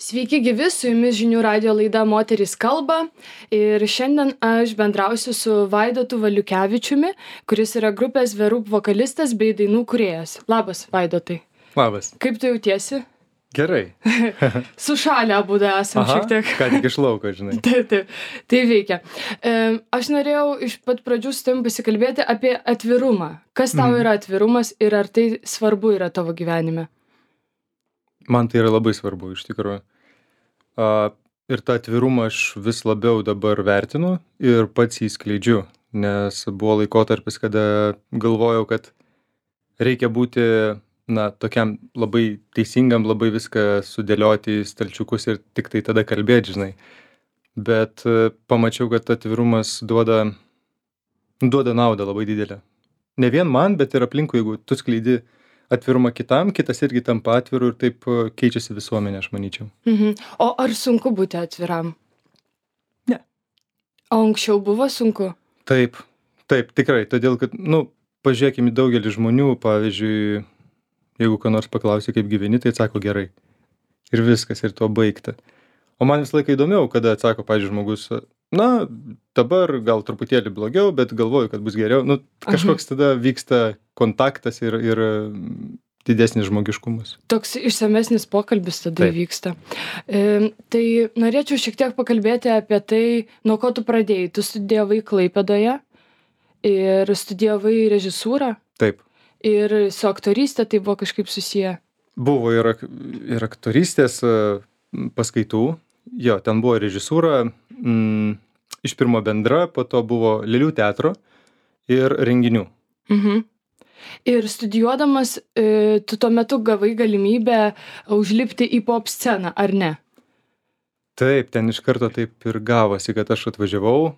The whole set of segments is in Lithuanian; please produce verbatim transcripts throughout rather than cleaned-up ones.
Sveiki gyvi, su jumis žinių radio laida Moterys kalba ir šiandien aš bendrausiu su Vaidotu Valiukevičiumi, kuris yra grupės The Roop vokalistas bei dainų kūrėjas. Labas, Vaidotai. Labas. Kaip tu jautiesi? Gerai. Sušalę abudu esam šiek tiek. Ką tik iš lauko, žinai. Taip, taip, tai veikia. E, aš norėjau iš pat pradžių su tavim pasikalbėti apie atvirumą. Kas tau yra atvirumas ir ar tai svarbu yra tavo gyvenime? Man tai yra labai svarbu, iš tikrųjų. Uh, ir tą atvirumą aš vis labiau dabar vertinu ir pats jį skleidžiu, nes buvo laikotarpis, kada galvojau, kad reikia būti, na, tokiam labai teisingam, labai viską sudėlioti į stalčiukus ir tik tai tada kalbėti, žinai. Bet uh, pamačiau, kad atvirumas duoda, duoda naudą labai didelę. Ne vien man, bet ir aplinkui, jeigu tu skleidi atvirumą kitam, kitas irgi tampa atviru ir taip keičiasi visuomenė, aš manyčiau. Mhm. O ar sunku būti atviram? Ne. O anksčiau buvo sunku? Taip, taip, tikrai. Todėl, kad, nu, pažiūrėkime į daugelį žmonių, pavyzdžiui, jeigu ką nors paklausi, kaip gyveni, tai atsako gerai. Ir viskas, ir tuo baigta. O man visą laiką įdomiau, kada atsako, pavyzdžiui, žmogus, na, dabar gal truputėlį blogiau, bet galvoju, kad bus geriau. Nu, kažkoks tada vyksta kontaktas ir, ir didesnis žmogiškumas. Toks išsamesnis pokalbis tada Taip. vyksta. E, tai norėčiau šiek tiek pakalbėti apie tai, nuo ko tu pradėjai. Tu studijavai Klaipėdoje ir studijavai režisūrą. Taip. Ir su aktorystė tai buvo kažkaip susiję. Buvo ir, ak- ir aktorystės e, paskaitų. Jo, ten buvo režisūra, mm, iš pirmo bendra, po to buvo Lėlių teatro ir renginių. Mhm. Ir studijuodamas, e, tu tuo metu gavai galimybę užlipti į pop sceną, ar ne? Taip, ten iš karto taip ir gavosi, kad aš atvažiavau.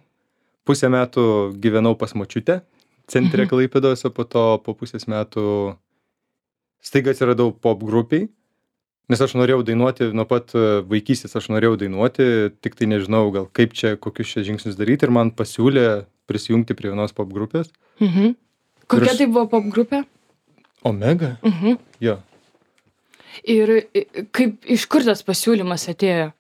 Pusę metų gyvenau pas močiutę, centre Klaipėdos, o po to po pusės metų staiga atsiradau pop grupiai. Nes aš norėjau dainuoti, nuo pat e, vaikystės aš norėjau dainuoti, tik tai nežinau gal kaip čia, kokius čia žingsnius daryti ir man pasiūlė prisijungti prie vienos pop grupės. Mhm. Kokia aš- tai buvo pop grupė? Omega? Mhm. Jo. Ir e, kaip, iš kur tas pasiūlymas atėjo?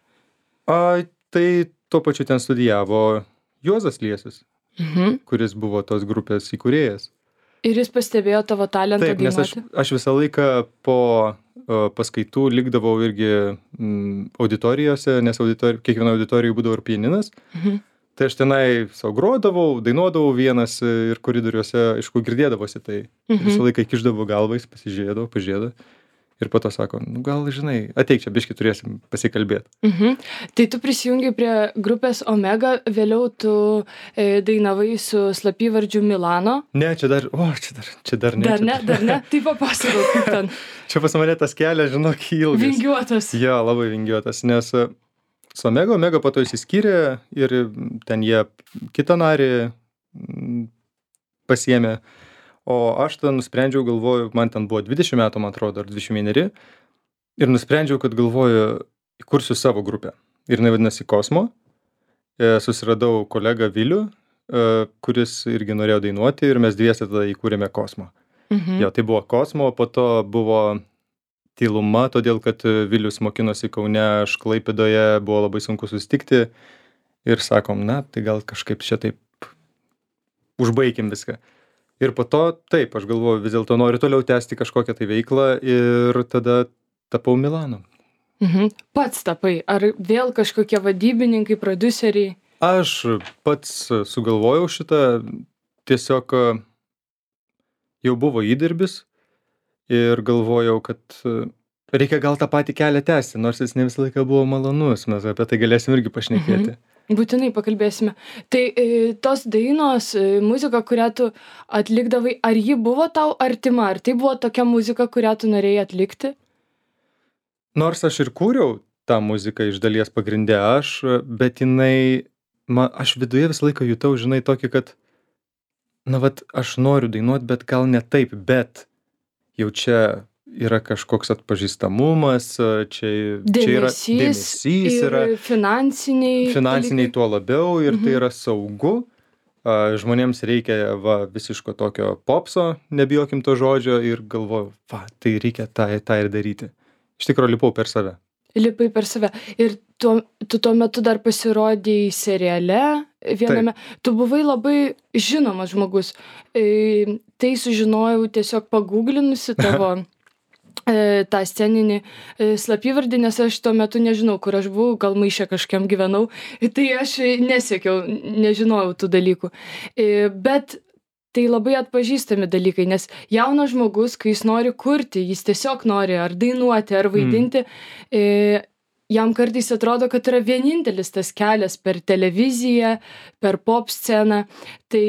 A, tai tuo pačiu ten studijavo Juozas Liesis, Mhm. kuris buvo tos grupės įkūrėjas. Ir jis pastebėjo tavo talentą Taip, nes aš, dainuoti? aš visą laiką po uh, paskaitų likdavau irgi mm, auditorijose, nes auditori, kiekvieno auditorijoje būdavo ir pianinas. Mhm. Tai aš tenai savo grodavau, dainuodavau vienas ir koridoriuose, aišku, girdėdavosi tai. Mhm. Visą laiką kišdavau galvą, jis pasižiūrėdavo, pažiūrėdavo. Ir po to sako, nu gal žinai, ateik čia, biškį turėsim pasikalbėti. Mhm. Tai tu prisijungi prie grupės Omega, vėliau tu e, dainavai su slapyvardžiu Milano. Ne, čia dar, o, čia dar, čia dar ne. Dar čia ne, dar ne. Tai papasakok, kaip ten. Čia pas mane tas kelias, žinok, ilgas. Vingiuotas. Jo, labai vingiuotas, nes e, su Omega, Omega po to išsiskyrė ir ten jie kitą narį mm, pasiėmė. O aš ten nusprendžiau, galvoju, man ten buvo dvidešimt metų, man atrodo, ar dvidešimt vieneri. Ir nusprendžiau, kad galvoju, įkursiu savo grupę. Ir jinai vadinasi Kosmo. E, susiradau kolegą Vilių, e, kuris irgi norėjo dainuoti ir mes dviese tada įkūrėme Kosmo. Mhm. Jo, tai buvo Kosmo, po to buvo tyluma, todėl kad Vilius mokinosi Kaune, aš Klaipėdoje, buvo labai sunku susitikti. Ir sakom, na, tai gal kažkaip čia taip užbaikim viską. Ir po to, taip, aš galvoju, vis dėlto noriu toliau tęsti kažkokią tai veiklą ir tada tapau Milanu. Mhm. Pats tapai. Ar vėl kažkokie vadybininkai, prodiuseriai? Aš pats sugalvojau šitą, tiesiog jau buvo įdirbis ir galvojau, kad reikia gal tą patį kelią tęsti, nors jis ne visą laiką buvo malonus, mes apie tai galėsim irgi pašnekėti. Mhm. Būtinai pakalbėsime. Tai e, tos dainos, e, muzika, kurią tu atlikdavai, ar ji buvo tau artima? Ar tai buvo tokia muzika, kurią tu norėjai atlikti? Nors aš ir kūriau tą muziką iš dalies pagrindė aš, bet jinai, man, aš viduje visą laiką jutau, žinai, tokį, kad, na, vat, aš noriu dainuoti, bet gal ne taip, bet jau čia yra kažkoks atpažįstamumas, čia, čia yra Dėmesys dėmesys, ir yra finansiniai. finansiniai dalykai. tuo labiau ir Mhm. tai yra saugu. A, Žmonėms reikia va, visiško tokio popso, nebijokim to žodžio ir galvoju, va, tai reikia tą, tą ir daryti. Iš tikrųjų lipau per save. lipai per save. Ir tuo, tu tuo metu dar pasirodėjai seriale viename. Taip. Tu buvai labai žinomas žmogus. E, tai sužinojau tiesiog pagūglinusi tavo e, tą sceninį e, slapyvardį, nes aš tuo metu nežinau, kur aš buvau, gal maišė kažkiam gyvenau. Tai aš nesiekiau, nežinojau tų dalykų. E, bet tai labai atpažįstami dalykai, nes jaunas žmogus, kai jis nori kurti, jis tiesiog nori ar dainuoti, ar vaidinti, mm. e, jam kartais atrodo, kad yra vienintelis tas kelias per televiziją, per pop sceną. Tai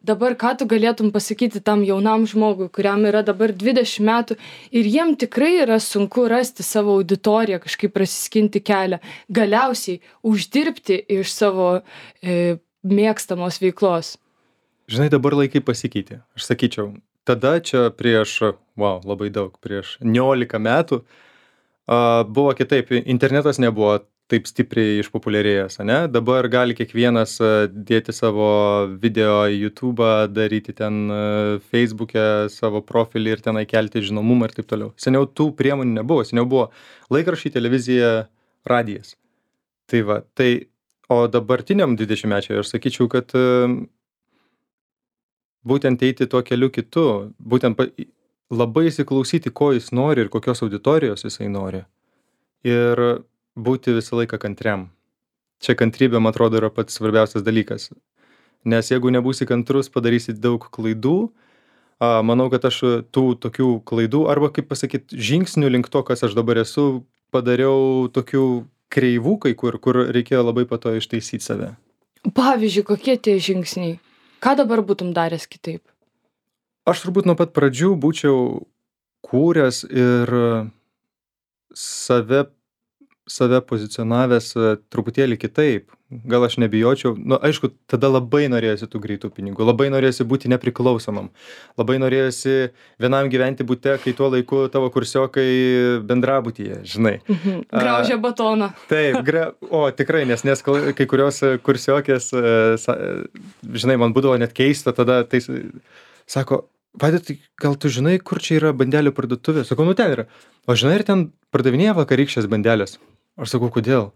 dabar ką tu galėtum pasakyti tam jaunam žmogui, kuriam yra dabar dvidešimt metų ir jiem tikrai yra sunku rasti savo auditoriją, kažkaip prasiskinti kelią, galiausiai uždirbti iš savo e, mėgstamos veiklos. Žinai, dabar laikai pasikeitė. Aš sakyčiau, tada čia prieš, wow, labai daug, prieš niolika metų uh, buvo kitaip. Internetas nebuvo taip stipriai išpopuliarėjęs, ne? Dabar gali kiekvienas uh, dėti savo video į YouTube'ą, daryti ten uh, Facebook'e savo profilį ir tenai kelti žinomumą ir taip toliau. Seniau tų priemonių nebuvo. Seniau buvo laikraščiai, televizija, radijas. Tai va, tai, o dabartiniam dvidešimtmečiui aš sakyčiau, kad uh, būtent eiti tuo keliu kitu, būtent pa, labai įsiklausyti, ko jis nori ir kokios auditorijos jisai nori. Ir būti visą laiką kantriam. Čia kantrybė, man atrodo, yra pats svarbiausias dalykas. Nes jeigu nebūsi kantrus, padarysi daug klaidų. A, manau, kad aš tų tokių klaidų, arba kaip pasakyti, žingsnių link to, kas aš dabar esu, padariau tokių kreivų, kai kur, kur reikėjo labai po to ištaisyti save. Pavyzdžiui, kokie tie žingsniai? Ką dabar būtum daręs kitaip? Aš turbūt nuo pat pradžių būčiau kūręs ir save, save pozicionavęs truputėlį kitaip. Gal aš nebijočiau. Nu, aišku, tada labai norėjosi tų greitų pinigų. Labai norėjosi būti nepriklausomam. Labai norėjosi vienam gyventi bute, kai tuo laiku tavo kursiokai bendrabutyje, žinai. Mhm. Graužia batoną. Taip, gra... o tikrai, nes, nes kai kurios kursiokės, žinai, man būdavo net keista, tada tai sako, Vaidotai, gal tu žinai, kur čia yra bandelių parduotuvė? Sakau, nu ten yra. O žinai, ir ten pardavinėja vakarykščias bandelės. Aš sakau, kodėl?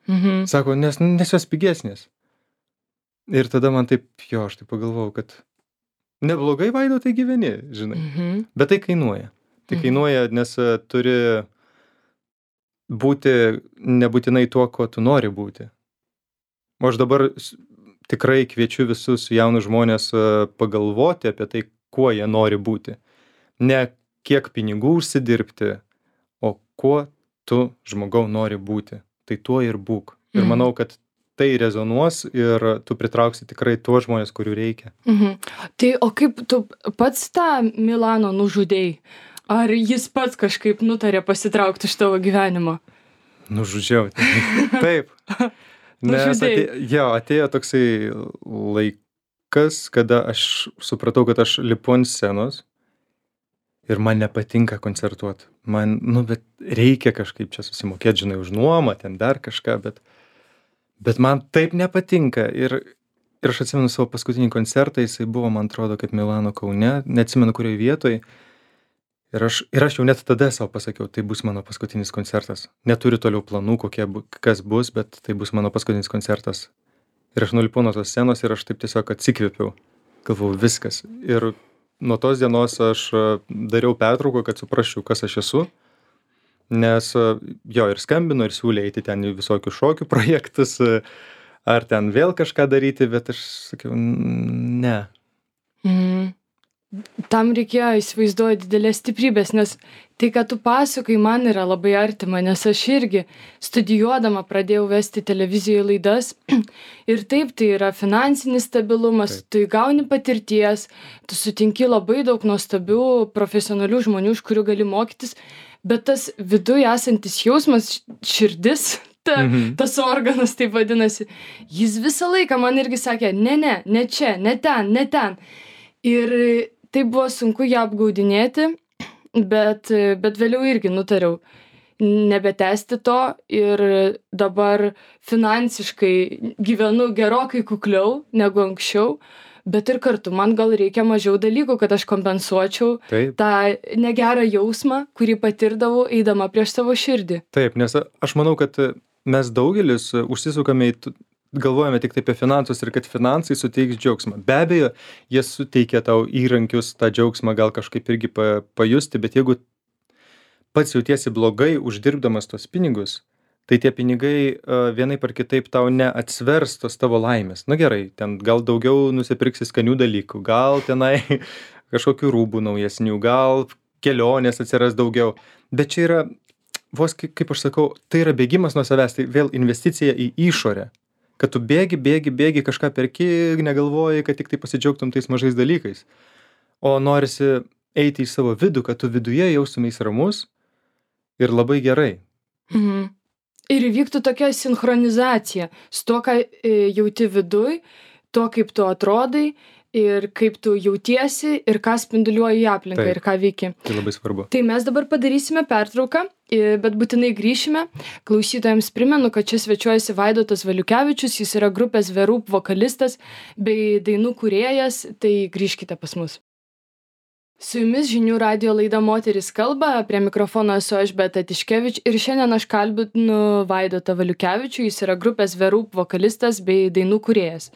Mhm. Sako, nes, nes jos pigesnės. Ir tada man taip, jo, aš taip pagalvojau, kad neblogai, Vaidotai, gyveni, žinai. Mhm. Bet tai kainuoja. Tai kainuoja, nes turi būti nebūtinai tuo, ko tu nori būti. O aš dabar tikrai kviečiu visus jaunus žmonės pagalvoti apie tai, kuo jie nori būti. Ne kiek pinigų užsidirbti, o kuo tu žmogau nori būti. Tai tuo ir būk. Ir Mhm. manau, kad tai rezonuos ir tu pritrauksi tikrai tuos žmonės, kurių reikia. Mhm. Tai o kaip tu pats tą Milano nužudėjai? Ar jis pats kažkaip nutarė pasitraukti iš tavo gyvenimo? Nužudžiau. Taip. Nes atėjo, jo, atėjo toksai laikas, kada aš supratau, kad aš lipu ant scenos ir man nepatinka koncertuoti. Man, nu, bet reikia kažkaip čia susimokėti, žinai, už nuomą, ten dar kažką, bet, bet man taip nepatinka. Ir, ir aš atsimenu savo paskutinį koncertą, jisai buvo, man atrodo, kaip Milano Kaune, neatsimenu kurioje vietoje. Ir aš, ir aš jau net tada savo pasakiau, tai bus mano paskutinis koncertas. Neturiu toliau planų, kokie, kas bus, bet tai bus mano paskutinis koncertas. Ir aš nulipau nuo tos scenos ir aš taip tiesiog atsikvėpiau. Galvau, viskas. Ir nuo tos dienos aš dariau pertrauką, kad suprasčiau, kas aš esu. Nes jo, ir skambino, ir siūlė eiti ten į visokių šokių projektus, ar ten vėl kažką daryti, bet aš sakiau, ne. Mhm. Tam reikėjo, įsivaizduoju, didelės stiprybės, nes tai, kad tu pasakoji, man yra labai artima, nes aš irgi studijuodama pradėjau vesti televizijoje laidas ir taip, tai yra finansinis stabilumas, taip. Tu įgauni patirties, tu sutinki labai daug nuostabių profesionalių žmonių, iš kurių gali mokytis, bet tas viduje esantis jausmas, širdis, ta, mhm. tas organas, taip vadinasi, jis visą laiką man irgi sakė, ne, ne, ne čia, ne ten, ne ten. Ir tai buvo sunku ją apgaudinėti, bet, bet vėliau irgi nutariau nebetęsti to ir dabar finansiškai gyvenu gerokai kukliau negu anksčiau, bet ir kartu man gal reikia mažiau dalykų, kad aš kompensuočiau Taip. tą negerą jausmą, kurį patirdavau eidama prieš savo širdį. Taip, nes aš manau, kad mes daugelis užsisukame į, galvojame tik tai apie finansus ir kad finansai suteiks džiaugsmą. Be abejo, jie suteikia tau įrankius tą džiaugsmą gal kažkaip irgi pa, pajusti, bet jeigu pats jautiesi blogai uždirbdamas tos pinigus, tai tie pinigai uh, vienaip ar kitaip tau neatsvers tos tavo laimės. Na gerai, ten gal daugiau nusipirksi skanių dalykų, gal tenai kažkokių rūbų naujesnių, gal kelionės atsiras daugiau. Bet čia yra, vos kaip, kaip aš sakau, tai yra bėgimas nuo savęs, tai vėl investicija į išorę. Kad tu bėgi, bėgi, bėgi, kažką perki, negalvoji, kad tik tai pasidžiaugtum tais mažais dalykais. O norisi eiti į savo vidų, kad tu viduje jaustumeis ramus ir labai gerai. Mhm. Ir įvyktų tokia sinchronizacija su tuo, ką jauti viduj, tuo, kaip tu atrodai ir kaip tu jautiesi ir ką spinduliuoji į aplinką. Taip. Ir ką veiki. Tai labai svarbu. Tai mes dabar padarysime pertrauką, bet būtinai grįšime. Klausytojams primenu, kad čia svečiuojasi Vaidotas Valiukevičius, jis yra grupės The Roop vokalistas bei dainų kūrėjas, tai grįžkite pas mus. Su jumis žinių radijo laida Moteris kalba, prie mikrofono esu aš Beata Tiškevič ir šiandien aš kalbinu Vaidotą Valiukevičių, jis yra grupės The Roop vokalistas bei dainų kūrėjas.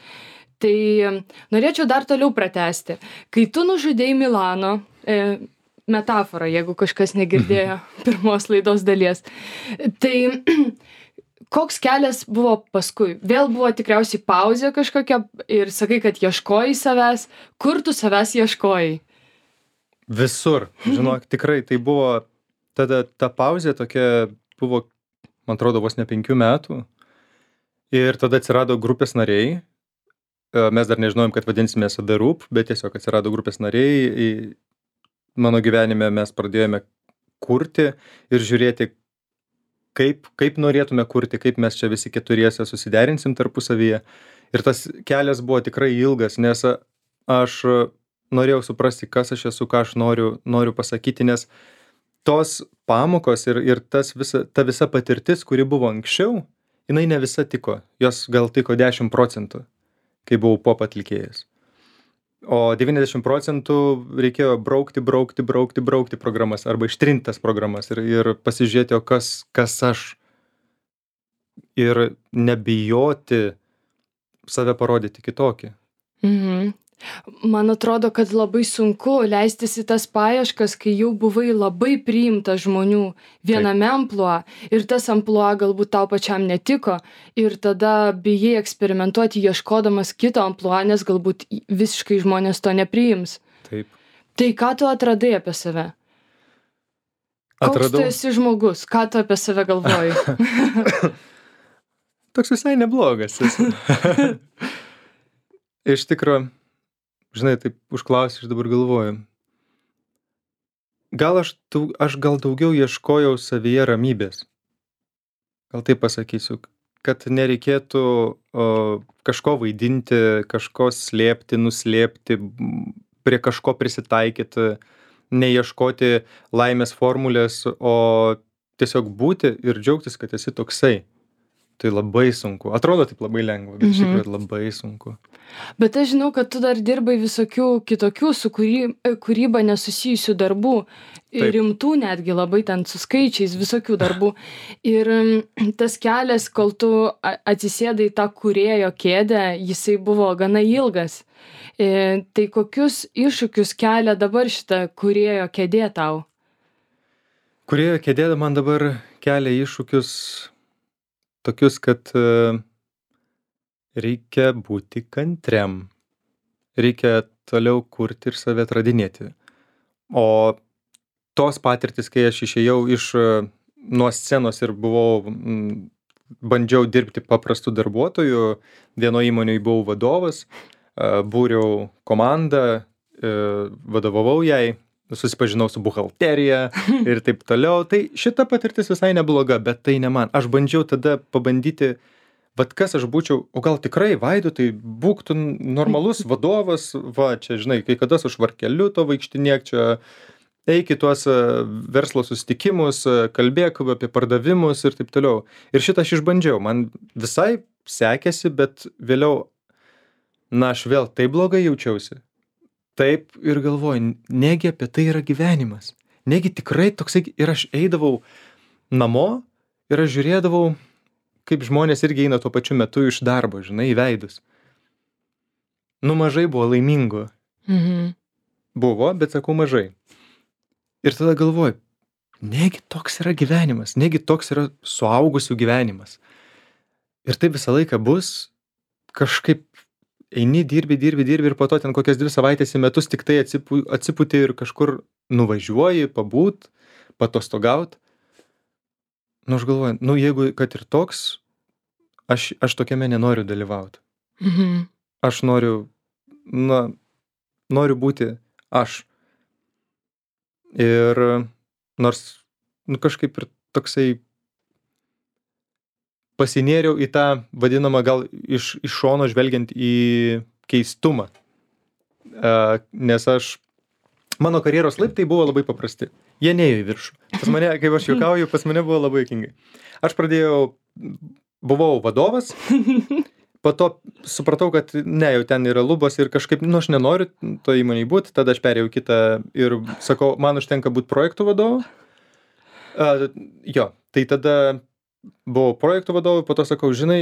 Tai norėčiau dar toliau pratęsti. Kai tu nužudei Milano, e, metafora, jeigu kažkas negirdėjo pirmos laidos dalies, tai koks kelias buvo paskui? Vėl buvo tikriausiai pauzė kažkokia ir sakai, kad ieškojai savęs. Kur tu savęs ieškojai? Visur, žinok, tikrai tai buvo, tada ta pauzė tokia buvo, man atrodo, vos ne penkių metų ir tada atsirado grupės nariai, mes dar nežinojom, kad vadinsimės The Roop, bet tiesiog atsirado grupės nariai, mano gyvenime mes pradėjome kurti ir žiūrėti, kaip, kaip norėtume kurti, kaip mes čia visi keturiese susiderinsim tarpusavyje ir tas kelias buvo tikrai ilgas, nes aš norėjau suprasti, kas aš esu, ką aš noriu, noriu pasakyti, nes tos pamokos ir, ir tas visa, ta visa patirtis, kuri buvo anksčiau, jinai ne visa tiko. Jos gal tiko dešimt procentų, kai buvau pop atlikėjas. O devyniasdešimt procentų reikėjo braukti, braukti, braukti, braukti programas arba ištrintas programas ir, ir pasižiūrėti, o kas, kas aš. Ir nebijoti save parodyti kitokį. Mhm. Man atrodo, kad labai sunku leistis į tas paieškas, kai jau buvai labai priimtas žmonių viename amplua ir tas amplua galbūt tau pačiam netiko ir tada bijai eksperimentuoti ieškodamas kito amplua, nes galbūt visiškai žmonės to nepriims. Taip. Tai ką tu atradai apie save? Koks Atradau... tu esi žmogus? Ką tu apie save galvoji? Toks visai neblogas. Iš tikrųjų, žinai, taip užklausiu, aš dabar galvoju. Gal aš, aš gal daugiau ieškojau savyje ramybės. Gal taip pasakysiu, kad nereikėtų o, kažko vaidinti, kažko slėpti, nuslėpti, prie kažko prisitaikyti, neieškoti laimės formulės, o tiesiog būti ir džiaugtis, kad esi toksai. Tai labai sunku. Atrodo taip labai lengva, bet iš Mhm. tikrųjų labai sunku. Bet aš žinau, kad tu dar dirbai visokių kitokių su kūry, kūryba nesusijusių darbų, Taip. rimtų netgi labai ten su skaičiais, visokių darbų. Ir mm, tas kelias, kol tu a- atsisėdai tą kūrėjo kėdę, jisai buvo gana ilgas. E, tai kokius iššūkius kelia dabar šitą kūrėjo kėdė tau? Kūrėjo kėdė man dabar kelia iššūkius tokius, kad e, reikia būti kantriam. Reikia toliau kurti ir save atradinėti. O tos patirtis, kai aš išėjau iš e, nuo scenos ir buvau, m, bandžiau dirbti paprastų darbuotojų, vieno įmonėje buvau vadovas, e, būriau komandą, e, vadovavau jai, susipažinau su buhalterija ir taip toliau. Tai šita patirtis visai nebloga, bet tai ne man. Aš bandžiau tada pabandyti, vat kas aš būčiau, o gal tikrai, Vaidotai, būk tu normalus vadovas, va, čia, žinai, kai kada su švarkeliu to vaikštinėk, čia eik į tuos e, verslo susitikimus, e, kalbėk apie pardavimus ir taip toliau. Ir šitą aš išbandžiau. Man visai sekėsi, bet vėliau, na, aš vėl taip blogai jaučiausi. Taip ir galvoju, negi apie tai yra gyvenimas. Negi tikrai toksai, ir aš eidavau namo ir aš žiūrėdavau, kaip žmonės irgi eina tuo pačiu metu iš darbo, žinai, į veidus. Nu, mažai buvo laimingų. Mhm. Buvo, bet sakau mažai. Ir tada galvoju, negi toks yra gyvenimas, negi toks yra suaugusių gyvenimas. Ir taip visą laiką bus, kažkaip eini, dirbi, dirbi, dirbi ir po to ten kokias dvi savaitės į metus tik tai atsipu, atsiputi ir kažkur nuvažiuoji, pabūt, patostogaut. Nu, aš galvoju, nu, jeigu kad ir toks, aš, aš tokiame nenoriu dalyvauti. Mhm. Aš noriu, na, noriu būti aš. Ir nors, nu, kažkaip ir toksai pasinėriau į tą vadinamą gal iš, iš šono žvelgiant į keistumą. Uh, nes aš, mano karjeros laiptai buvo labai paprasti. Jie neėjo į viršų. Pas mane, kaip aš juokauju, pas mane buvo labai juokingai. Aš pradėjau, buvau vadovas, po to supratau, kad ne, jau ten yra lubos ir kažkaip, nu, aš nenoriu to įmonėj būti, tada aš perėjau kitą ir sakau, man užtenka būti projektų vadovu. Uh, jo, tai tada buvau projektų vadovui, po to sakau, žinai,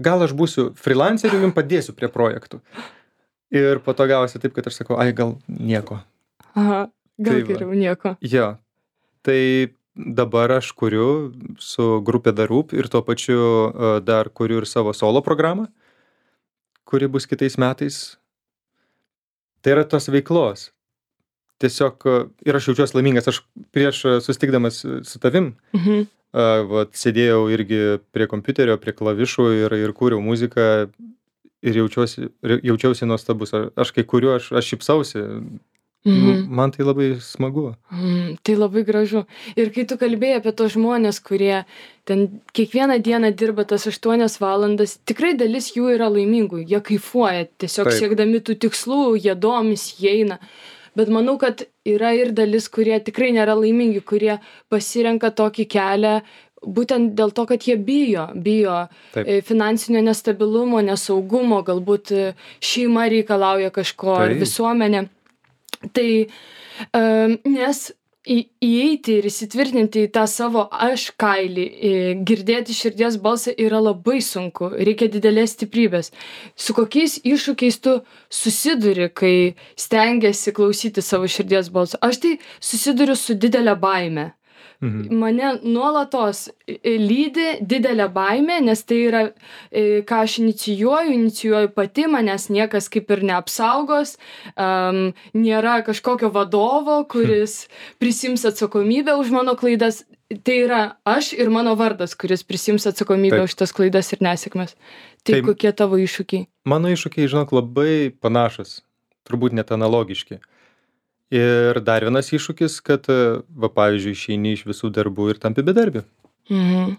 gal aš būsiu freelanceriu, jums padėsiu prie projektų. Ir po to gavosi taip, kad aš sakau, ai, gal nieko. Aha, gal Tai va. geriau nieko. Jo, tai dabar aš kuriu su grupė The Roop ir tuo pačiu uh, dar kuriu ir savo solo programą, kuri bus kitais metais. Tai yra tos veiklos. Tiesiog, uh, ir aš jaučiuosi laimingas, aš prieš uh, susitikdamas su tavim, Mhm. Uh, vat, sėdėjau irgi prie kompiuterio, prie klavišų ir, ir kūriau muziką ir jaučiausi, jaučiausi nuostabus. Aš kai kuriu, aš, aš šypsausi. Mhm. Man tai labai smagu. Mm, tai labai gražu. Ir kai tu kalbėjai apie tos žmonės, kurie ten kiekvieną dieną dirba tas aštuonias valandas, tikrai dalis jų yra laimingų. Jie kaifuoja, tiesiog Taip. siekdami tų tikslų, jie domis, jie eina. Bet manau, kad yra ir dalis, kurie tikrai nėra laimingi, kurie pasirenka tokį kelią būtent dėl to, kad jie bijo, bijo Taip. e, finansinio nestabilumo, nesaugumo, galbūt e, šeima reikalauja kažko, ar Taip. visuomenė. Tai um, nes į, įeiti ir įsitvirtinti į tą savo aš kailį, į, girdėti širdies balsą yra labai sunku, reikia didelės stiprybės. Su kokiais iššūkiais tu susiduri, kai stengiasi klausyti savo širdies balsą? Aš tai susiduriu su didelė baime. Mhm. Mane nuolatos e, lydi didelė baimė, nes tai yra, e, ką aš inicijuoju, inicijuoju pati, manęs niekas kaip ir neapsaugos, um, nėra kažkokio vadovo, kuris prisims atsakomybę už mano klaidas. Tai yra aš ir mano vardas, kuris prisims atsakomybę Taip. už tas klaidas ir nesėkmes. Tai Taip. kokie tavo iššūkiai? Mano iššūkiai, žinok, labai panašus, turbūt net analogiški. Ir dar vienas iššūkis, kad, va, pavyzdžiui, išeini iš visų darbų ir tampi bedarbiu. Mhm.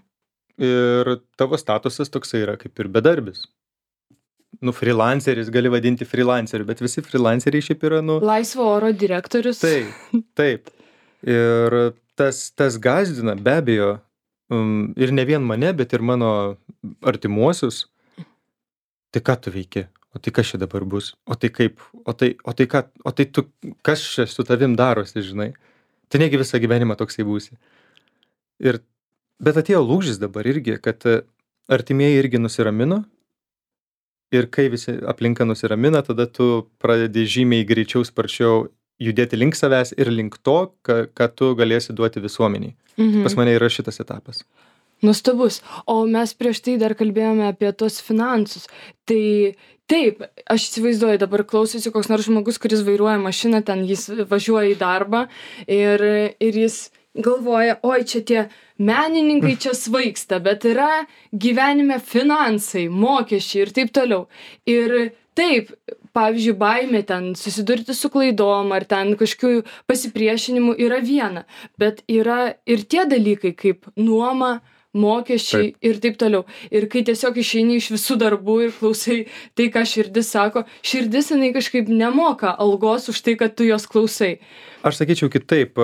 Ir tavo statusas toksai yra kaip ir bedarbis. Nu, freelanceris, gali vadinti freelanceriu, bet visi freelanceriai šiaip yra, nu... Laisvo oro direktorius. Taip, taip. Ir tas, tas gąsdina, be abejo, um, ir ne vien mane, bet ir mano artimuosius. Tai ką tu veiki? O tai kas čia dabar bus? O tai kaip? O tai, o tai ką? O tai tu, kas čia su tavim darosi, žinai? Tai negi visą gyvenimą toksai būsi. Ir, bet atėjo lūžis dabar irgi, kad artimieji irgi nusiramino. Ir kai visi aplinka nusiramina, tada tu pradedi žymiai greičiau, sparčiau judėti link savęs ir link to, ką, ką tu galėsi duoti visuomeniai. Mhm. Pas mane yra šitas etapas. Nuostabus. O mes prieš tai dar kalbėjome apie tos finansus. Tai taip, aš įsivaizduoju, dabar klausosi koks nors žmogus, kuris vairuoja mašiną, ten jis važiuoja į darbą ir, ir jis galvoja, oi, čia tie menininkai čia svaigsta, bet yra gyvenime finansai, mokesčiai ir taip toliau. Ir taip, pavyzdžiui, baimė ten susidurti su klaidom ar ten kažkokiu pasipriešinimu yra viena, bet yra ir tie dalykai kaip nuoma, mokesčiai Taip. ir taip toliau. Ir kai tiesiog išeini iš visų darbų ir klausai tai, ką širdis sako, širdis jinai kažkaip nemoka algos už tai, kad tu jos klausai. Aš sakyčiau kitaip,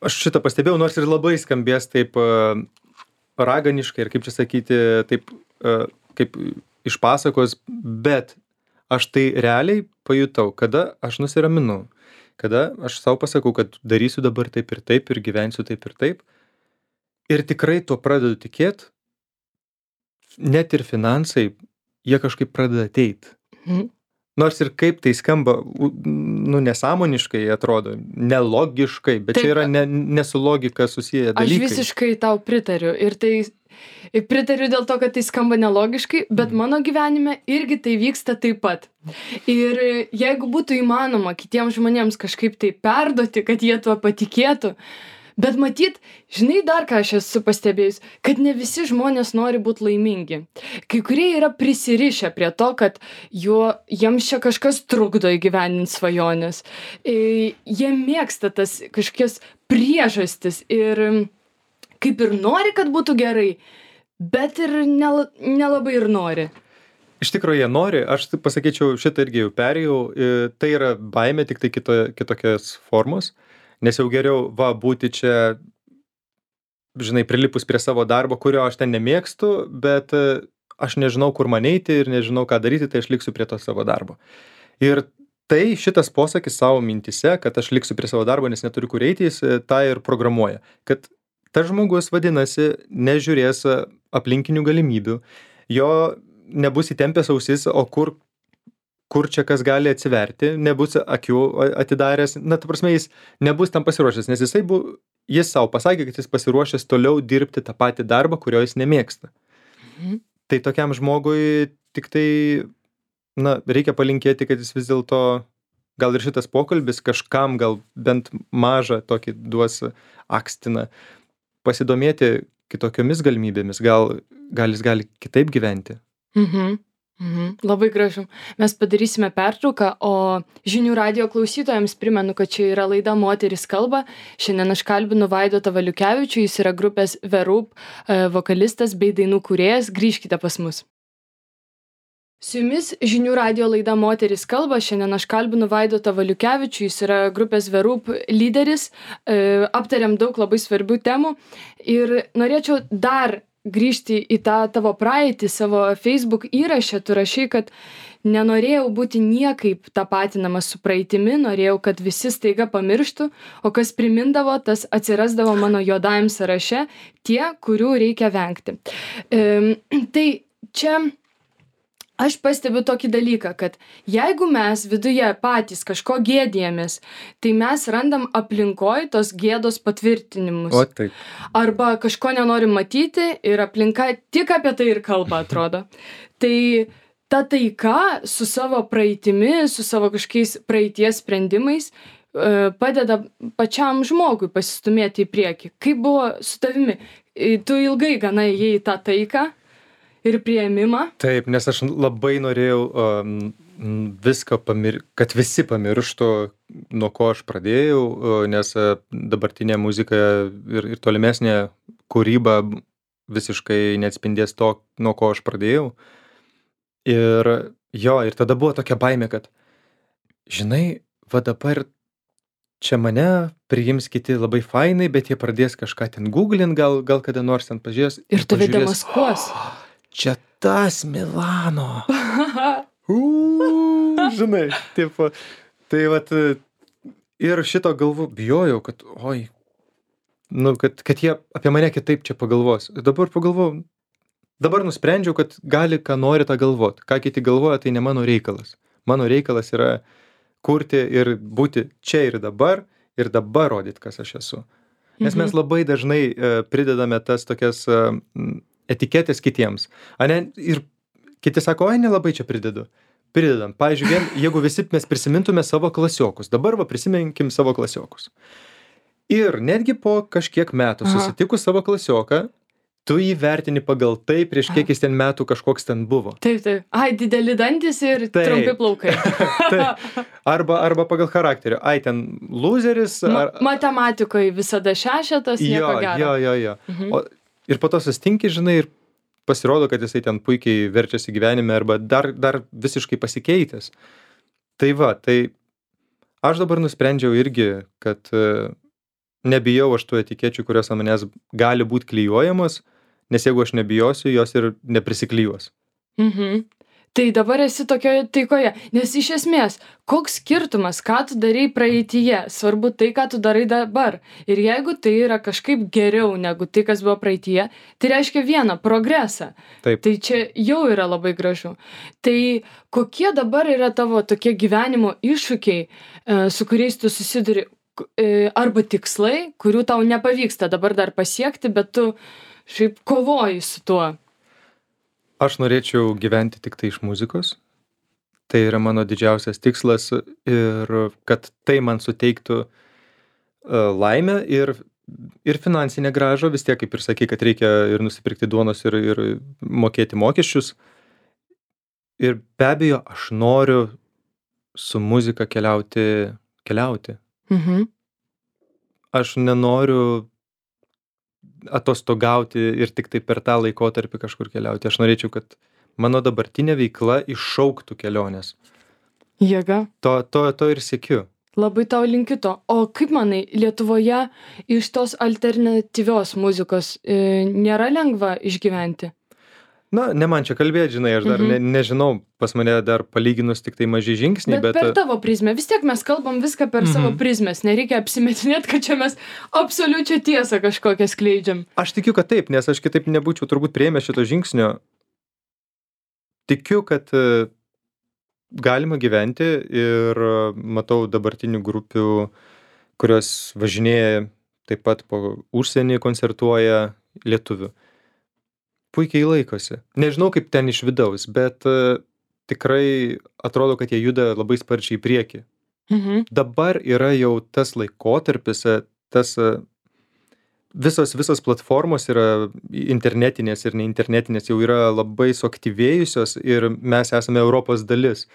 aš šitą pastebėjau, nors ir labai skambės taip raganiškai ir kaip čia sakyti, taip kaip iš pasakos, bet aš tai realiai pajutau, kada aš nusiraminu, kada aš savo pasakau, kad darysiu dabar taip ir taip ir gyvensiu taip ir taip. Ir tikrai tuo pradedu tikėt, net ir finansai, jie kažkaip pradeda ateit. Mhm. Nors ir kaip tai skamba, nu, nesąmoniškai atrodo, nelogiškai, bet Taip, čia yra ne, ne su logika susiję Aš dalykai. visiškai tau pritariu ir tai ir pritariu dėl to, kad tai skamba nelogiškai, bet mano gyvenime irgi tai vyksta taip pat. Ir jeigu būtų įmanoma kitiems žmonėms kažkaip tai perduoti, kad jie tuo patikėtų, bet matyt, žinai dar ką aš esu pastebėjus, kad ne visi žmonės nori būti laimingi. Kai kurie yra prisirišę prie to, kad juo, jiems čia kažkas trukdo įgyvendinti svajonės. E, Jie mėgsta tas kažkokias priežastis ir kaip ir nori, kad būtų gerai, bet ir nel, nelabai ir nori. Iš tikrųjų, jie nori, aš taip pasakyčiau, šitą irgi jau perėjau, e, tai yra baimė, tik tai kito, kitokios formos. Nes jau geriau, va, būti čia, žinai, prilipus prie savo darbo, kurio aš ten nemėgstu, bet aš nežinau, kur man eiti ir nežinau, ką daryti, tai aš liksiu prie to savo darbo. Ir tai šitas posakis savo mintise, kad aš liksiu prie savo darbo, nes neturiu kur eiti, jis tą ir programuoja. Kad tas žmogus, vadinasi, nežiūrės aplinkinių galimybių, jo nebus įtempęs ausis, o kur kur čia kas gali atsiverti, nebus akių atidaręs, na, ta prasme, jis nebus tam pasiruošęs, nes jisai bu, jis savo pasakė, kad jis pasiruošęs toliau dirbti tą patį darbą, kurio jis nemėgsta. Mhm. Tai tokiam žmogui tik tai, na, reikia palinkėti, kad jis vis dėlto, gal ir šitas pokalbis kažkam gal bent mažą tokį duos akstiną, pasidomėti kitokiomis galimybėmis, gal, gal jis gali kitaip gyventi. Mhm. Mhm, labai gražu. Mes padarysime pertrauką, o žinių radijo klausytojams primenu, kad čia yra laida Moteris kalba. Šiandien aš kalbinu Vaidotą Valiukevičių, jis yra grupės The Roop vokalistas bei dainų kūrėjas. Grįžkite pas mus. Su jumis žinių radijo laida Moteris kalba. Šiandien aš kalbinu Vaidotą Valiukevičių, jis yra grupės The Roop lyderis. Aptariam daug labai svarbių temų ir norėčiau dar grįžti į tą tavo praeitį, savo Facebook įrašę, tu rašai, kad nenorėjau būti niekaip tapatinamas su praeitimi, norėjau, kad visi staiga pamirštų, o kas primindavo, tas atsirasdavo mano juodajam sąraše, tie, kurių reikia vengti. E, tai čia aš pastebiu tokį dalyką, kad jeigu mes viduje patys kažko gėdijamės, tai mes randam aplinkoj tos gėdos patvirtinimus. O taip. Arba kažko nenorim matyti ir aplinka tik apie tai ir kalba, atrodo. Tai ta taika su savo praeitimi, su savo kažkokiais praeities sprendimais padeda pačiam žmogui pasistumėti į priekį. Kaip buvo su tavimi? Tu ilgai gana ėjai į tą taiką ir priėmimą? Taip, nes aš labai norėjau um, viską pamiršti, kad visi pamirštų, nuo ko aš pradėjau, nes dabartinė muzika ir, ir tolimesnė kūryba visiškai neatspindės to, nuo ko aš pradėjau. Ir jo, ir tada buvo tokia baimė, kad, žinai, va dabar čia mane priims kiti labai fainai, bet jie pradės kažką ten googlint, gal, gal kada nors ten pažiūrės. Ir tave demaskuos. Čia tas Milano. Uuu, žinai, taip, tai vat, ir šito galvu bijojau, kad, oi, nu, kad, kad jie apie mane kitaip čia pagalvos. Ir dabar pagalvojau, dabar nusprendžiau, kad gali, ką nori tą galvot. Ką kiti galvoja, tai ne mano reikalas. Mano reikalas yra kurti ir būti čia ir dabar, ir dabar rodyti, kas aš esu. Nes mes labai dažnai uh, pridedame tas tokias uh, etiketės kitiems. Ane, ir kiti sako, oi, nelabai čia pridedu. Pridedam. Pavyzdžiui, vien, jeigu visi mes prisimintume savo klasiokus. Dabar va prisiminkim savo klasiokus. Ir netgi po kažkiek metų susitikus savo klasioką, tu jį vertini pagal tai, prieš kiek jis ten metų kažkoks ten buvo. Taip, taip. Ai, dideli dantis ir taip. Trumpi plaukai. Taip. Arba, arba pagal charakterį. Ai, ten loseris. Ar... Ma matematikoje visada šešetas, nieko gero. Jo, jo, jo. Mhm. O, ir po to sustinki, žinai, ir pasirodo, kad jisai ten puikiai verčiasi gyvenime arba dar, dar visiškai pasikeitęs. Tai va, tai aš dabar nusprendžiau irgi, kad nebijau aš tų etikečių, kurios ant manęs gali būti klijuojamos, nes jeigu aš nebijosiu, jos ir neprisiklijuos. Mhm. Tai dabar esi tokioje taikoje, nes iš esmės, koks skirtumas, ką tu darai praeityje, svarbu tai, ką tu darai dabar. Ir jeigu tai yra kažkaip geriau negu tai, kas buvo praeityje, tai reiškia vieną progresą. Taip. Tai čia jau yra labai gražu. Tai kokie dabar yra tavo tokie gyvenimo iššūkiai, e, su kuriais tu susiduri, e, arba tikslai, kurių tau nepavyksta dabar dar pasiekti, bet tu šiaip kovoji su tuo? Aš norėčiau gyventi tik tai iš muzikos. Tai yra mano didžiausias tikslas ir kad tai man suteiktų uh, laimę ir, ir finansinę grąžą. Vis tiek, kaip ir sakai, kad reikia ir nusipirkti duonos ir, ir mokėti mokesčius. Ir be abejo, aš noriu su muzika keliauti, keliauti. Mhm. Aš nenoriu atostogauti ir tik tai per tą laikotarpį kažkur keliauti. Aš norėčiau, kad mano dabartinė veikla iššauktų keliones. Jėga. To, to, to ir siekiu. Labai tau linkiu to. O kaip manai, Lietuvoje iš tos alternatyvios muzikos e, nėra lengva išgyventi? Na, ne man čia kalbėti, žinai, aš dar Mhm. ne, nežinau, pas mane dar palyginus tik tai maži žingsniai, Bet, bet... per tavo prizmę. Vis tiek mes kalbam viską per Mhm. savo prizmės. Nereikia apsimetinėti, kad čia mes absoliučią tiesą kažkokią skleidžiam. Aš tikiu, kad taip, nes aš kitaip nebūčiau turbūt priėmęs šito žingsnio. Tikiu, kad e, galima gyventi ir e, matau dabartinių grupių, kurios važinėja taip pat po užsienį, koncertuoja lietuvių. Puikiai laikosi. Nežinau, kaip ten iš vidaus, bet e, tikrai atrodo, kad jie juda labai sparčiai į priekį. Mhm. Dabar yra jau tas laikotarpis, e, tas e, visos, visos platformos yra internetinės ir neinternetinės, jau yra labai suaktyvėjusios ir mes esame Europos dalis.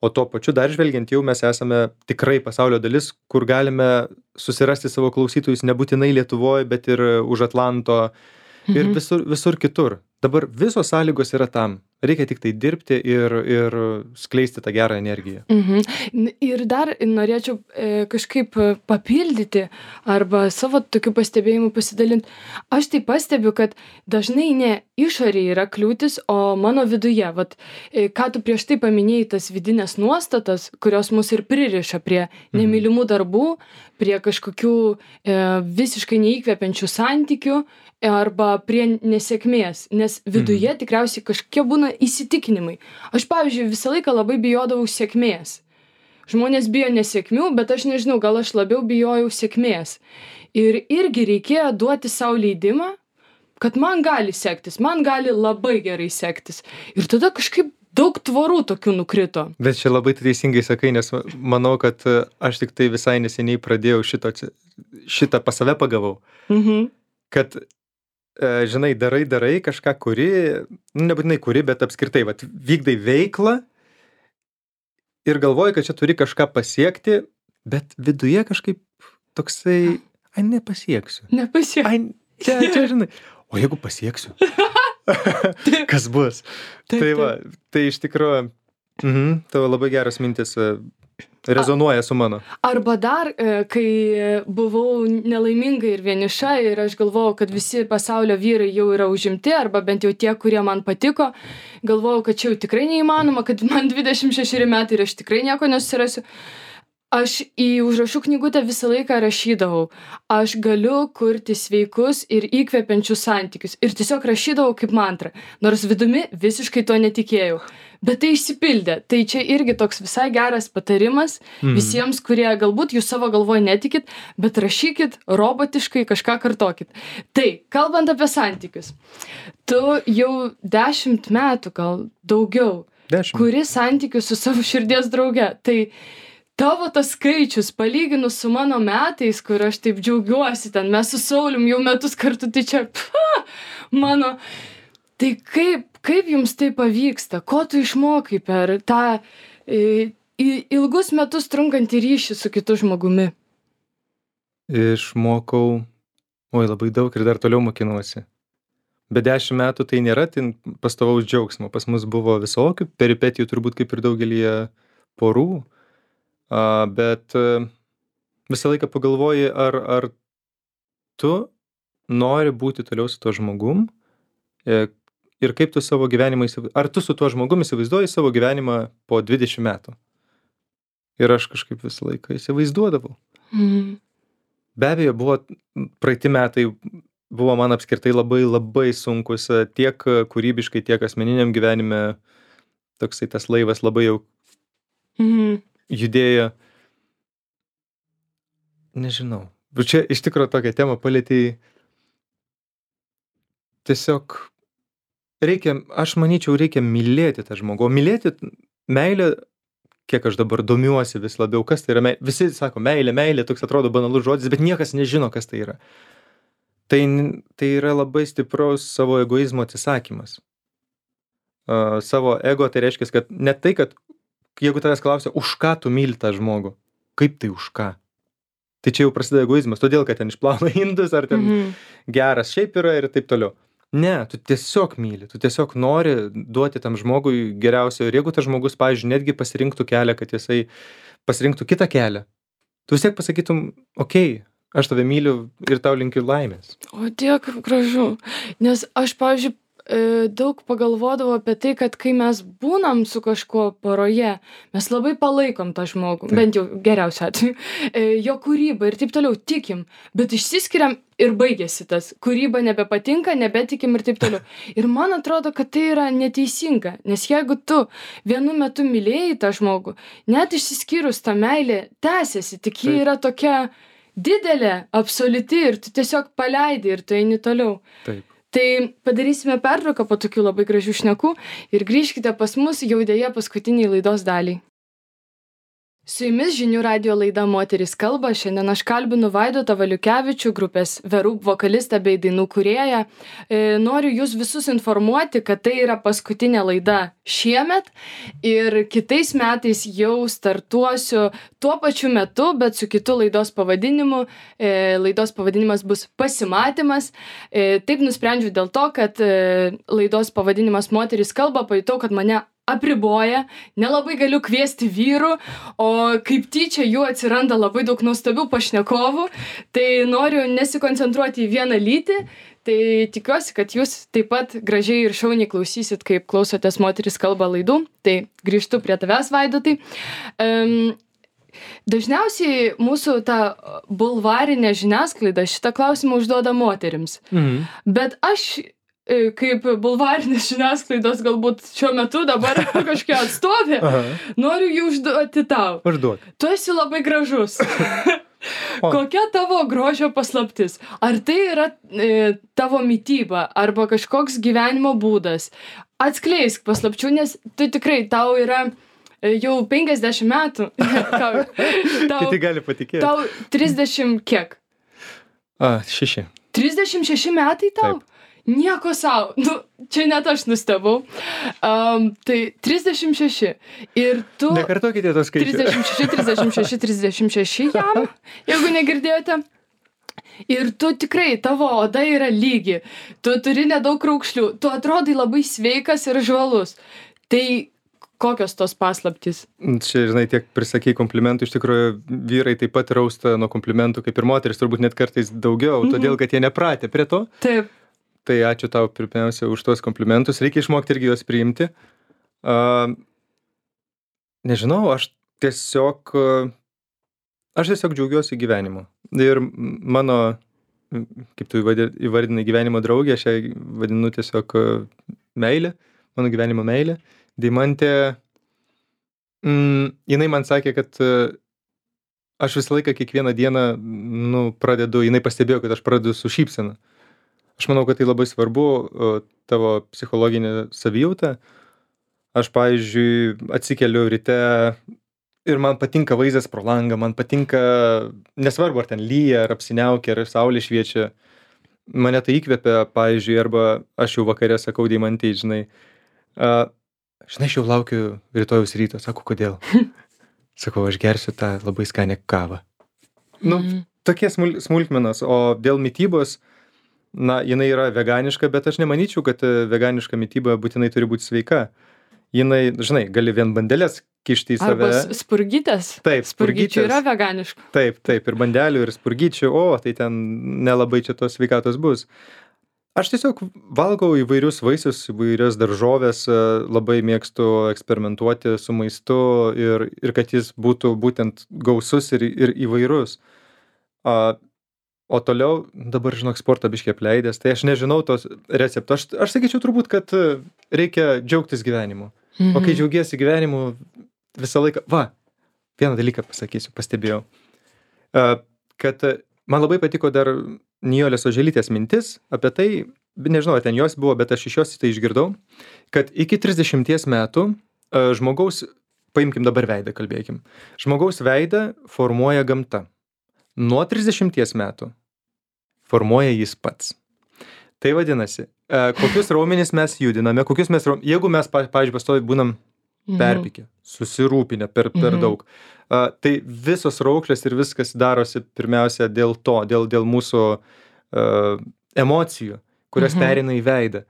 O tuo pačiu dar žvelgiant jau mes esame tikrai pasaulio dalis, kur galime susirasti savo klausytojus nebūtinai Lietuvoje, bet ir už Atlanto ir Mhm. visur, visur kitur. Dabar visos sąlygos yra tam. Reikia tik tai dirbti ir, ir skleisti tą gerą energiją. Mhm. N- Ir dar norėčiau e, kažkaip e, papildyti arba savo tokių pastebėjimų pasidalinti. Aš tai pastebiu, kad dažnai ne išorėje yra kliūtis, o mano viduje. Vat, e, ką tu prieš tai paminėjai, tas vidinės nuostatas, kurios mus ir pririša prie nemylimų darbų, prie kažkokių e, visiškai neįkvepiančių santykių e, arba prie nesėkmės. Nes viduje tikriausiai kažkokie būna įsitikinimai. Aš, pavyzdžiui, visą laiką labai bijodavau sėkmės. Žmonės bijo nesėkmių, bet aš nežinau, gal aš labiau bijojau sėkmės. Ir irgi reikėjo duoti savo leidimą, kad man gali sektis, man gali labai gerai sektis. Ir tada kažkaip daug tvorų tokių nukrito. Bet čia labai teisingai sakai, nes manau, kad e, aš tik tai visai neseniai pradėjau šito, atsi- šitą pas save pagavau. Mhm. Kad, e, žinai, darai, darai kažką, kuri, nu, nebūtinai kuri, bet apskritai, vat, vykdai veiklą ir galvoji, kad čia turi kažką pasiekti, bet viduje kažkaip toksai, ai, nepasieksiu. Nepasiek. Ai, čia, čia, žinai, o jeigu pasieksiu? Kas bus? Taip, Tai va, tai iš tikrųjų, mhm, tavo labai geras mintis e, rezonuoja su mano. Arba dar, e, kai buvau nelaiminga ir vieniša ir aš galvojau, kad visi pasaulio vyrai jau yra užimti, arba bent jau tie, kurie man patiko, galvojau, kad čia jau tikrai neįmanoma, kad man dvidešimt šešeri metai ir aš tikrai nieko nesusirasiu. Aš į užrašų knygutę visą laiką rašydavau, aš galiu kurti sveikus ir įkvepiančius santykius. Ir tiesiog rašydavau kaip mantrą, nors vidumi visiškai to netikėjau. Bet tai išsipildė. Tai čia irgi toks visai geras patarimas Mhm. visiems, kurie galbūt jūs savo galvoje netikit, bet rašykit robotiškai, kažką kartokit. Tai, kalbant apie santykius, tu jau dešimt metų, gal daugiau, Dešimt. kuri santykius su savo širdies drauge. Tai tavo tas skaičius, palyginus su mano metais, kur aš taip džiaugiuosi, ten mes su Saulium jau metus kartu, tai čia, pfa, mano, tai kaip, kaip jums tai pavyksta, ko tu išmokai per tą e, i- ilgus metus trunkantį ryšį su kitu žmogumi? Išmokau, oi, labai daug ir dar toliau mokinuosi. Bet dešimt metų tai nėra tai pastovaus džiaugsmo. Pas mus buvo visokių peripetijų, turbūt kaip ir daugelį porų. A, bet e, visą laiką pagalvoji, ar, ar tu nori būti toliau su tuo žmogum e, ir kaip tu savo gyvenimą įsivaizduoji, ar tu su tuo žmogumi įsivaizduoji savo gyvenimą po dvidešimt metų. Ir aš kažkaip visą laiką įsivaizduodavau. Mhm. Be abejo, buvo praeiti metai, buvo man apskritai labai labai sunkus tiek kūrybiškai, tiek asmeniniam gyvenime. Toksai tas laivas labai jau Mhm. judėjo. Nežinau. Bet čia iš tikrųjų tokią temą palietei. Tiesiog reikia, aš manyčiau, reikia mylėti tą žmogų. O mylėti meilę, kiek aš dabar domiuosi vis labiau, kas tai yra meilė. Visi sako meilė, meilė, toks atrodo banalus žodis, bet niekas nežino, kas tai yra. Tai, tai yra labai stipraus savo egoizmo atsisakymas. Uh, savo ego tai reiškia, kad ne tai, kad jeigu tavęs klausia, už ką tu myli tą žmogų, kaip tai už ką? Tai čia jau prasideda egoizmas, todėl, kad ten išplauna indus, ar ten Mhm. geras šiaip yra ir taip toliau. Ne, tu tiesiog myli, tu tiesiog nori duoti tam žmogui geriausio. Ir jeigu tas žmogus, pavyzdžiui, netgi pasirinktų kelią, kad jisai pasirinktų kitą kelią, tu vis tiek pasakytum, okei, aš tave myliu ir tau linkiu laimės. O tiek gražu. Nes aš, pavyzdžiui, e, daug pagalvodavau apie tai, kad kai mes būnam su kažkuo poroje, mes labai palaikom tą žmogų, Taip. bent jau geriausiu atveju, e, jo kūrybą ir taip toliau tikim, bet išsiskiriam ir baigėsi tas. Kūryba nebepatinka, nebetikim ir taip toliau. Ir man atrodo, kad tai yra neteisinga, nes jeigu tu vienu metu mylėjai tą žmogų, net išsiskyrus ta meilė tęsiasi, tik ji Taip. yra tokia didelė, absoliuti ir tu tiesiog paleidi ir tu eini toliau. Taip. Tai padarysime pertrauką po tokių labai gražių šnekų ir grįžkite pas mus jau dėja paskutiniai laidos daliai. Su jumis žinių radijo laida Moterys kalba. Šiandien aš kalbinu Vaidotą Valiukevičių, grupės Verub vokalistą bei dainų kūrėją. E, noriu jūs visus informuoti, kad tai yra paskutinė laida šiemet ir kitais metais jau startuosiu tuo pačiu metu, bet su kitu laidos pavadinimu. E, laidos pavadinimas bus Pasimatymas. E, taip nusprendžiau dėl to, kad e, laidos pavadinimas Moterys kalba, pajutau, kad mane apriboja, nelabai galiu kviesti vyrų, o kaip tyčia jų atsiranda labai daug nuostabių pašnekovų, tai noriu nesikoncentruoti į vieną lytį, tai tikiuosi, kad jūs taip pat gražiai ir šauniai klausysit, kaip klausotės Moterys kalba laidų, tai grįžtu prie tavęs, Vaidotai. Um, dažniausiai mūsų ta bulvarinė žiniasklaida šitą klausimą užduoda moterims, Mhm. bet aš e, kaip bulvarinės žiniasklaidos galbūt šiuo metu dabar kažkokia atstovė, Aha. noriu jį užduoti tau. Užduok. Tu esi labai gražus. O. Kokia tavo grožio paslaptis? Ar tai yra e, tavo mityba arba kažkoks gyvenimo būdas? Atskleisk paslapčių, nes tu tikrai, tau yra e, jau penkiasdešimt metų. tau, tau, Kiti gali patikėti. tau trisdešimt kiek? A, šeši. trisdešimt šeši metai tau? Taip. Nieko sau. Nu, čia net aš nustebau. Um, tai trisdešimt šeši. Ir tu... Nekartokite tos skaičių. trisdešimt šeši, trisdešimt šeši, trisdešimt šeši jam, jeigu negirdėjote. Ir tu tikrai, tavo oda yra lygi. Tu turi nedaug raukšlių. Tu atrodai labai sveikas ir žvalus. Tai kokios tos paslaptys? Čia, žinai, tiek prisakai komplimentų, iš tikrųjų vyrai taip pat rausta nuo komplimentų, kaip ir moteris, turbūt net kartais daugiau, Mhm. todėl, kad jie nepratę prie to. Taip. Tai ačiū tau pirmiausia už tuos komplimentus, reikia išmokti irgi juos priimti. Uh, nežinau, aš tiesiog, uh, aš tiesiog džiaugiuosi gyvenimu. Ir mano, kaip tu įvadi- įvardinai gyvenimo draugė, aš ją vadinu tiesiog uh, meilė, mano gyvenimo meilė. Deimantė, mm, jinai man sakė, kad uh, aš visą laiką kiekvieną dieną, nu, pradedu, jinai pastebėjo, kad aš pradedu su šypsena. Aš manau, kad tai labai svarbu, o, tavo psichologinė savijauta. Aš, pavyzdžiui, atsikeliu ryte ir man patinka vaizdas pro langą, man patinka, nesvarbu, ar ten lyja, ar apsiniaukia, ar saulė šviečia. Mane tai įkvepia, pavyzdžiui, arba aš jau vakare sakau Deimantei, žinai, a, žinai, aš jau laukiu rytojaus ryto, sako, kodėl? Sakau, aš gersiu tą labai skanę kavą. Nu, Mhm. tokie smul smulkmenos, o dėl mitybos, na, jinai yra veganiška, bet aš nemanyčiau, kad e, veganiška mityba būtinai turi būti sveika. Jinai, žinai, gali vien bandelės kišti į save. Arba s- spurgytės. Taip, Spurgyčių spurgytės. yra veganiškų. Taip, taip, ir bandelių, ir spurgyčių, o, tai ten nelabai čia tos sveikatos bus. Aš tiesiog valgau įvairius vaisius, įvairias daržoves, e, labai mėgstu eksperimentuoti su maistu ir, ir kad jis būtų būtent gausus ir, ir įvairus. A, o toliau, dabar žinok, sportą biškį apleidęs, tai aš nežinau tos receptų. Aš, aš sakyčiau turbūt, kad e, reikia džiaugtis gyvenimu. O kai džiaugiesi gyvenimu, visą laiką, va, vieną dalyką pasakysiu, pastebėjau, e, kad e, man labai patiko dar Nijolės Oželytės mintis apie tai, nežinau, ar ten jos buvo, bet aš iš jos tai išgirdau, kad iki trisdešimties metų e, žmogaus, paimkim dabar veidą, kalbėkim, žmogaus veidą formuoja gamta. Nuo trisdešimties metų formuoja jis pats. Tai vadinasi, e, kokius raumenis mes judiname, kokius mes, raum- jeigu mes, pa- pavyzdžiui, pastovi būnam perpykę, susirūpinę per, per Mhm. daug, a, tai visos raukšlės ir viskas darosi pirmiausia dėl to, dėl, dėl mūsų a, emocijų, kurios Mhm. pereina į veidą.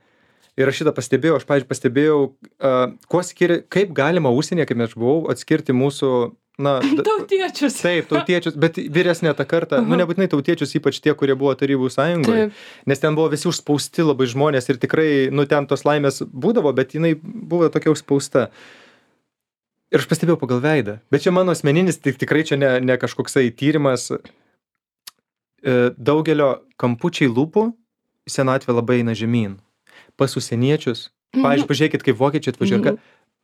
Ir aš šitą pastebėjau, aš, pavyzdžiui, pastebėjau, a, kuo skiri, kaip galima užsienyje, kaip aš buvau, atskirti mūsų, na, d- Tautiečius. taip, tautiečius, bet vyresnė ta karta, nu nebūtinai tautiečius, ypač tie, kurie buvo Tarybų sąjungoje, Taip. nes ten buvo visi užspausti labai žmonės ir tikrai, nu ten tos laimės būdavo, bet jinai buvo tokia užspausta. Ir aš pastebėjau pagal veidą. Bet čia mano asmeninis, tik, tikrai čia ne, ne kažkoksai tyrimas. E, daugelio kampučiai lūpų senatvė labai eina žemyn. Pas užsieniečius, pavyzdžiui, pažiūrėkit, kaip vokiečiai atvažiuoja, Mhm. ka-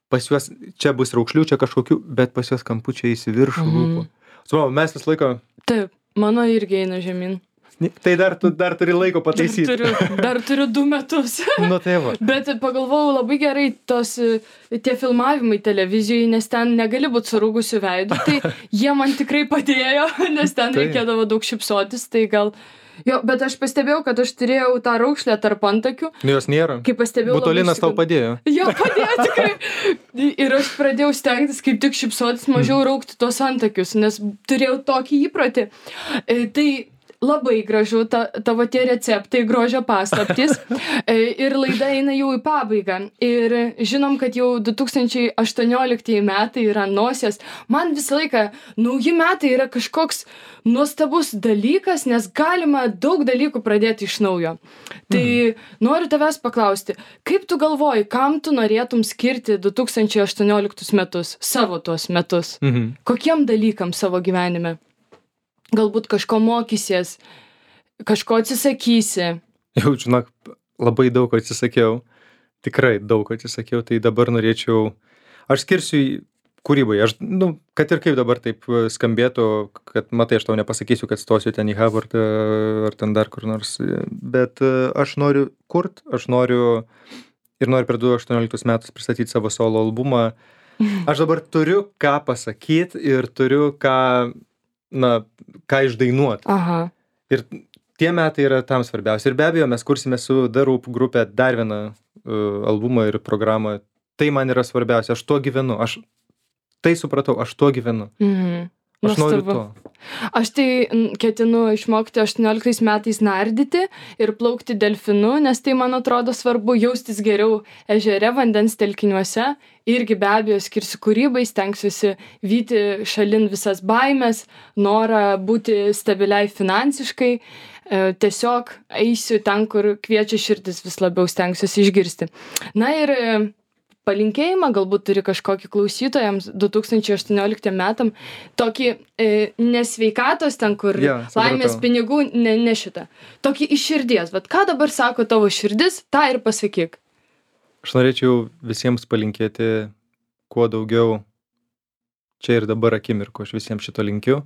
pas juos čia bus raukšlių, čia kažkokių, bet pas juos kampučiai į viršų Mhm. lūpų. Supratau, mes vis laiko, Taip, mano irgi eina žemyn. tai dar, tu dar turi laiko Dar pataisyti. turiu, dar turiu du metus. Nu tai va. Bet pagalvojau labai gerai tos, e, tie filmavimai televizijoje, nes ten negali būti surūgusiu veidu, tai jie man tikrai padėjo, nes ten Taip. reikėdavo daug šipsotis, tai gal... Jo, bet aš pastebėjau, kad aš turėjau tą raukšlę tarp antakių, Nu jos nėra. kai pastebėjau... labai Butolinas tau išsigandau. padėjo. Jo, padėjo tikrai. Ir aš pradėjau stengtis kaip tik šipsotis, mažiau raukti tos antakius, nes turėjau tokį įprotį. E, Tai labai gražu, ta, tavo tie receptai, grožio paslaptys. E, Ir laida eina jau į pabaigą. Ir žinom, kad jau du tūkstančiai aštuonioliktieji metai yra nosies. Man visą laiką nauji metai yra kažkoks nuostabus dalykas, nes galima daug dalykų pradėti iš naujo. Tai noriu tavęs paklausti, kaip tu galvoji, kam tu norėtum skirti du tūkstančiai aštuonioliktus metus, savo tuos metus? Mhm. Kokiem dalykam savo gyvenime? Galbūt kažko mokysies, kažko atsisakysi. Jau, žinok, labai daug ko atsisakiau. Tikrai daug ko atsisakiau, tai dabar norėčiau... Aš skirsiu į kūrybai. Aš, nu, kad ir kaip dabar taip e, skambėtų, kad, matai, aš tau nepasakysiu, kad stosiu ten į Harvard e, ar ten dar kur nors, e, bet e, aš noriu kurt, aš noriu ir noriu per du tūkstančiai aštuonioliktus metus pristatyti savo solo albumą. Aš dabar turiu ką pasakyti ir turiu ką, na, ką išdainuot. Aha. Ir tie metai yra tam svarbiausia. Ir be abejo, mes kursime su The Roop grupė dar vieną uh, albumą ir programą. Tai man yra svarbiausia. Aš tuo gyvenu. Aš tai supratau. Aš tuo gyvenu. Mhm. Aš noriu Nuostabu. to. Aš tai mm, ketinu išmokti aštuonioliktais metais nardyti ir plaukti delfinu, nes tai man atrodo svarbu jaustis geriau ežere, vandens telkiniuose. Irgi be abejo skirsiu kūrybai, stengsiuosi vyti šalin visas baimės, norą būti stabiliai finansiškai. E, Tiesiog eisiu ten, kur kviečia širdis, vis labiau stengsiuosi išgirsti. Na ir e, palinkėjimą galbūt turi kažkokį klausytojams du tūkstančiai aštuonioliktiem metam, tokį e, nesveikatos ten, kur Jo, supratau. laimės pinigų, ne, ne šitą. Tokį iš širdies. Vat ką dabar sako tavo širdis, tą ir pasakyk. Aš norėčiau visiems palinkėti kuo daugiau čia ir dabar akimirko. Aš visiems šito linkiu.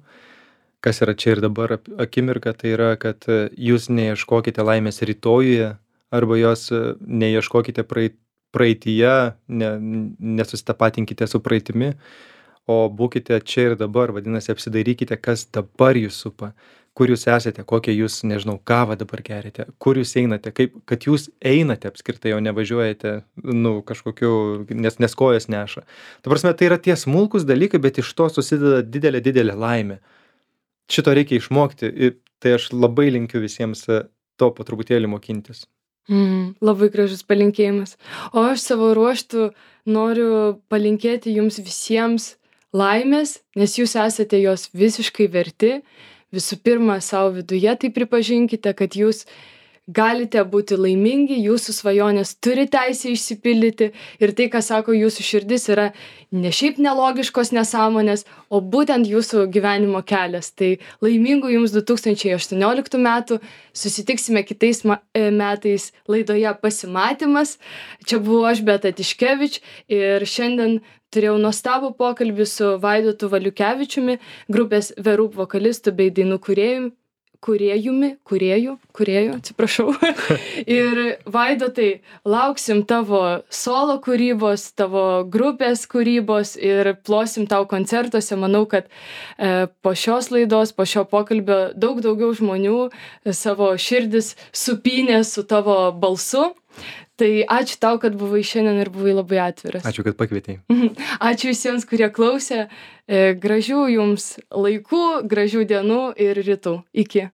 Kas yra čia ir dabar ap- akimirka, tai yra, kad e, jūs neieškokite laimės rytojuje arba jos e, neieškokite praeit, praeityje, ne, nesusitapatinkite su praeitimi, o būkite čia ir dabar, vadinasi, apsidairykite, kas dabar jūs supa, kur jūs esate, kokią jūs, nežinau, kavą dabar gerite, kur jūs einate, kaip, kad jūs einate apskritai, o nevažiuojate, nu, kažkokiu, nes, nes kojas neša. Ta prasme, tai yra tie smulkus dalykai, bet iš to susideda didelė, didelė laimė. Šito reikia išmokti ir tai aš labai linkiu visiems e, to po truputėlį mokintis. Mm, labai gražus palinkėjimas. O aš savo ruoštų noriu palinkėti jums visiems laimės, nes jūs esate jos visiškai verti. Visų pirma, savo viduje tai pripažinkite, kad jūs galite būti laimingi, jūsų svajonės turi teisę išsipildyti ir tai, ką sako jūsų širdis, yra ne šiaip nelogiškos nesąmonės, o būtent jūsų gyvenimo kelias. Tai laimingų jums du tūkstančiai aštuonioliktų metų, susitiksime kitais metais laidoje Pasimatymas. Čia buvau aš, Beata Tiškevič, ir šiandien turėjau nuostabų pokalbį su Vaidotu Valiukevičiumi, grupės The Roop vokalistu bei dainų kūrėjumi, kūrėjumi, kūrėjų, kūrėjų, atsiprašau. Ir Vaidotai, lauksim tavo solo kūrybos, tavo grupės kūrybos ir plosim tau koncertuose. Manau, kad e, po šios laidos, po šio pokalbio daug daugiau žmonių savo širdis supynė su tavo balsu. Tai ačiū tau, kad buvai šiandien ir buvai labai atviras. Ačiū, kad pakvietei. Ačiū visiems, kurie klausė. Gražių jums laikų, gražių dienų ir rytų. Iki.